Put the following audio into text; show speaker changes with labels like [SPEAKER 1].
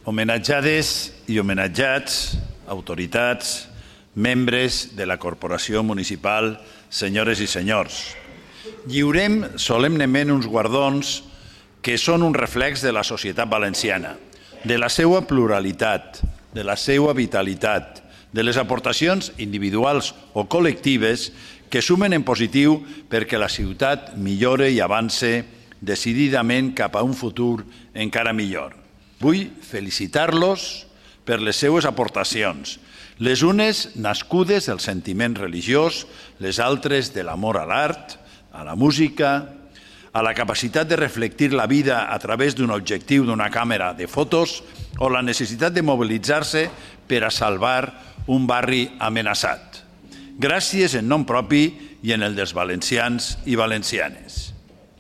[SPEAKER 1] Homenatjades i homenatjats, autoritats, membres de la Corporació Municipal, senyores i senyors. Lliurem solemnement uns guardons que són un reflex de la societat valenciana, de la seva pluralitat, de la seva vitalitat, de les aportacions individuals o col·lectives que sumen en positiu perquè la ciutat millore i avance decididament cap a un futur encara millor. Vull felicitar-los per les seues aportacions, les unes nascudes del sentiment religiós, les altres de l'amor a l'art, a la música, a la capacitat de reflectir la vida a través d'un objectiu d'una càmera de fotos o la necessitat de mobilitzar-se per a salvar un barri amenaçat. Gràcies en nom propi i en el dels valencians i valencianes.